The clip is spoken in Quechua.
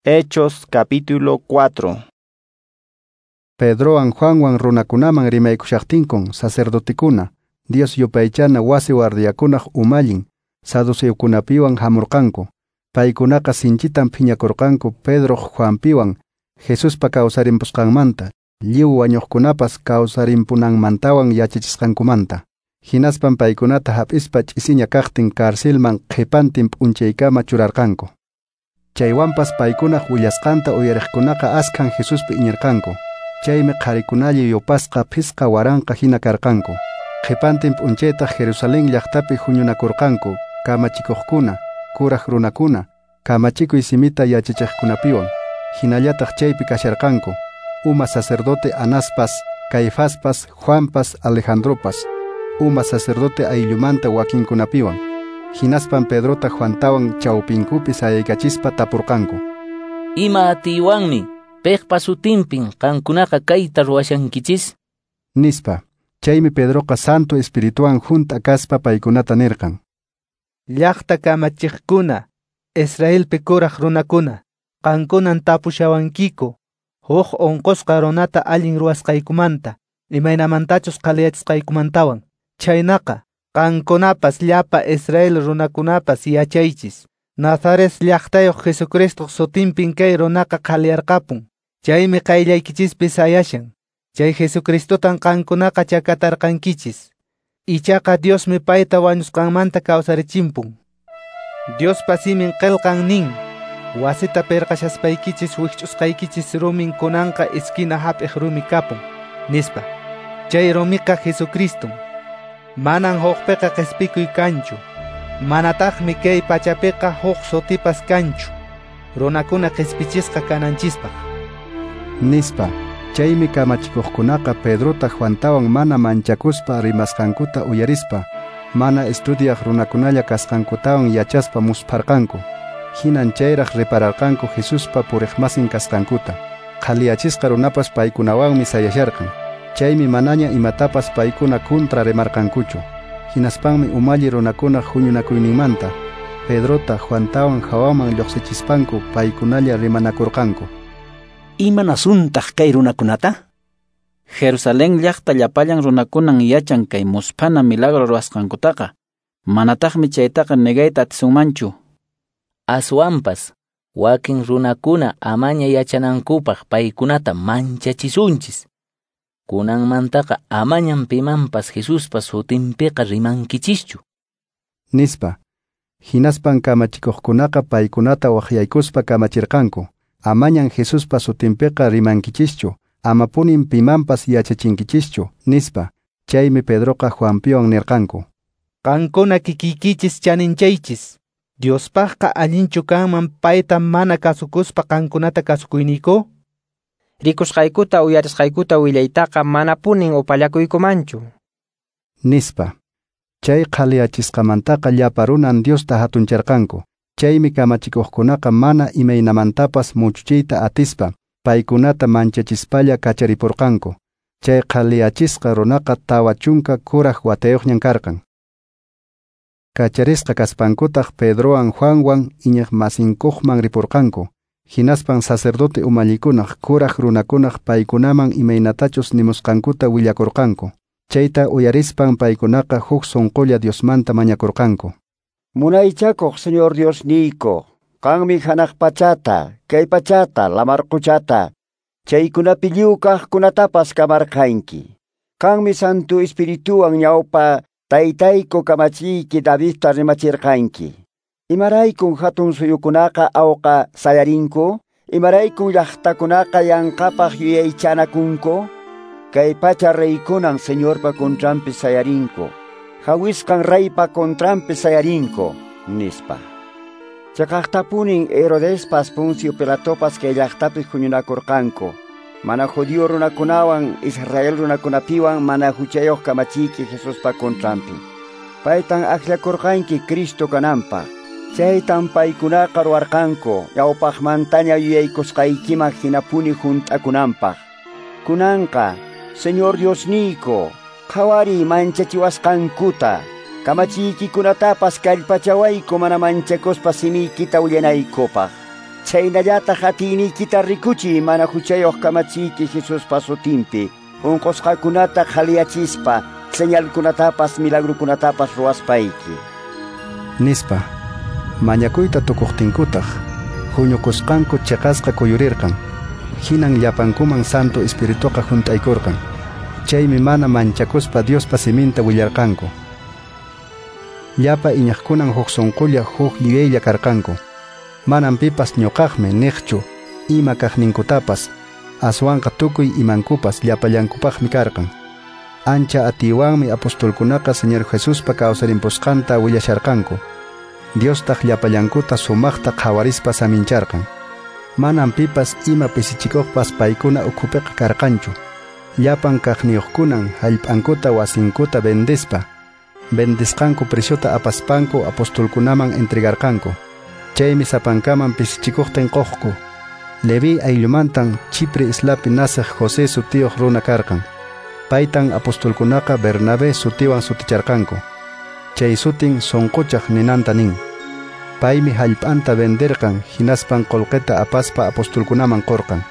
Hechos capítulo 4. Pedrowan Juanwan runakunaman rimaykushaqtinkun sacerdotekuna, Dios yupaychana wasi guardiakunaq umallin, saduceokunapiwan hamurqanku. Paykunaqa sinchitan phiñakurqanku Pedroq Juanpiwan Jesuspa kawsarimpusqanmanta, lliw wañuqkunapas kawsarimpunanmantawan yachachisqankumanta. Hinaspan paykunata hap'ispa ch'isiña kaqtin carcelman qhipantin p'unchaykama churarqanku. Chaywanpas paykunaq willasqanta uyariqkunaqa askhan Jesuspi iñirqanku. Chaymi qharikunalla yupasqa 5000 hina karqanku. Qhipantin p'unchaytaq Jerusalén llaqtapi huñunakurqanku kamachikuqkuna, kuraq runakuna, kamachikuy simita yachachiqkunapiwan. Hinallataq chaypi kasharqanku uma sacerdote Anaspas, Caifaspas, Juanpas, Alejandropas, uma sacerdote ayllumanta wakinkunapiwan. Hinaspan Pedrota Juantawan chawpinkupi sayaykachispa tapurqanku. Ima atiywanmi piqpa sutinpin qankunaqa kayta ruwashankichis? Nispa. Chaymi Pedroqa Santo Espirituwan hunt'a kaspa paykunata nirqan. Llaqta kamachiqkuna, Israelpi kuraq runakuna, qankunan tapushawankiku, huk unqusqa runata allin ruwasqaykumanta, imaynamantachus qaliyachisqaykumantawan. Chhaynaqa, qankunapas llapa Israel runakunapas yachaychis. Nazaret llaqtayuq Jesucristoq sutinpin kay runaqa qaliyarqapun. Chaymi qayllaykichispi sayashan. Chay Jesucristotan qankunaqa chakatarqankichis. Ichaqa Diosmi payta wañusqanmanta kawsarichimpun. Diospa simin qillqan nin, wasita pirqashaspaykichis wikch'usqaykichis rumin kunanqa esquina hap'iq rumi kapun, nispa. Chay rumiqa Jesucriston. Manan hukpiqa qhispikuy kanchu. Manataqmi kay pachapiqa huk sutipas kanchu. Runakuna qhispichisqa kananchispaq. Nispa. Chaymi kamachikuqkunaqa Pedrota Juantawan mana manchakuspa rimasqankuta uyarispa, mana estudiaq runakunalla kasqankutawan yachaspa muspharqanku. Hinan chayraq repararqanku Jesuspa puriqmasin kasqankuta. Qhaliyachisqa runapas paykunawanmi sayasharqan. Chaymi manaña imatapas paykuna kontra rimarqankuchu. Hinaspanmi umalli runakunaq huñunakuyninmanta Pedrota Juantawan hawaman lluqsichispanku paykunalla rimanakurqanku. Imanasuntaq kay runakunata? Jerusalén llaqta llapallan runakunan yachan kay musphana milagro ruwasqankutaqa. Manataqmi chaytaqa negayta atisunmanchu. Aswanpas wakin runakuna amaña yachanankupaq paykunata manchachisunchis. Kunanmantaqa amañan pimanpas Jesuspa sutinpiqa rimankichischu. Nispa. Hinaspan kamachikuqkunaqa paykunata waqyaykuspa kamachirqanku. Amañan Jesuspa sutinpiqa rimankichischu, amapunin pimanpas yachachinkichischu, nispa. Chaymi Pedroqa Juanpiwan nirqanku. Qankuna kikiykichis chaninchaychis. Diospaqqa allinchu kanman payta mana kasukuspa qankunata kasukuyniyku? Rikusqaykuta uyarisqaykuta willaytaqa manapunin upallakuykumanchu. Nispa. Chay qhaliyachisqamantaqa llapa runan Diosta hatuncharqanku. Chaymi kamachikuqkunaqa mana imaynamantapas muchuchiyta atispa, paykunata manchachispalla kacharipurqanku. Chay qhaliyachisqa runaqa 40 kuraq watayuqñan karqan. Kacharisqa kaspankutaq Pedrowan Juanwan iñiqmasinkuqman ripurqanku. Hinaspan sacerdote umallikunaq kuraq runakunaq paykunaman imaynatachus nimusqankuta willakurqanku. Chayta uyarispan paykunaqa huk sunqulla Diosmanta mañakurqanku. Munaychakuq Señor Dios niyku, qanmi hanaq pachata, kay pachata, lamar quchata, chaykunapi lliw kaqkunatapas kamarqanki. Qanmi Santo Espirituwan ñawpa taytayku kamachiyki Davidta rimachirqanki. Imaraykun hatun suyukunaqa awqa sayarinku, imaraykun llaqtakunaqa yanqapaq yuyaychanakunku, kay pacha reykunan Señorpa contranpi sayarinku. Hawisqan reypa contranpi sayarinku, nispa. Chaqaqtapunin Herodespas Poncio Pilatopas kay llaqtapi huñunakurqanku. Mana judío runakunawan Israel runakunapiwan mana huchayuq kamachiyki Jesuspa contranpi. Paytan akllakurqanki Cristo kananpaq. Chaytan paykunaqa ruwarqanku ñawpaqmantaña yuyaykusqaykiman hinapuni hunt'akunanpaq. Kunanqa, Señor Diosniyku, qhawariy manchachiwasqankuta, kamachiykikunatapas kallpachawayku mana manchakuspa simiykita willanaykupaq. Chhaynallataq atiyniykita rikuchiy mana huchayuq kamachiyki Jesuspa sutinpi, unqusqakunata qhaliyachispa, señalkunatapas milagrukunatapas ruwaspayki. Nispa, mañakuyta tukuqtinkutaq, huñukusqanku chiqasqa kuyurirqan. Hinan llapankuman Santo Espirituqa hunt'aykurqan. Chaymi mana manchakuspa Diospa siminta willarqanku. Llapa iñaqkunan huk sunqulla huk yuyaylla karqanku. Manan pipas ñuqaqmi niqchu ima kaqninkutapas, aswanqa tukuy imankupas llapallankupaqmi karqan. Ancha atiywanmi apostolkunaqa Señor Jesuspa kawsarimpusqanta willasharqanku. Diostaq llapallankuta sumaqta qhawarispa samincharqan. Manan pipas ima pisichikuqpas paykuna ukhupiqa karqanchu. Llapan kaqniyuqkunan hallp'ankuta wasinkuta vendispa, vendisqanku preciota apaspanku apostolkunaman entregarqanku. Chaymi sapankaman pisichikuqtin quqku. Leví ayllumantan Chipre islapi nasiq José sutiyuq runa karqan. Paytan apostolkunaqa Bernabé sutiwan suticharqanku. Chay sutin sunquchaq ninanta nin. Paymi hallp'anta venderqan hinaspan qullqita apaspa apostolkunaman qurqan.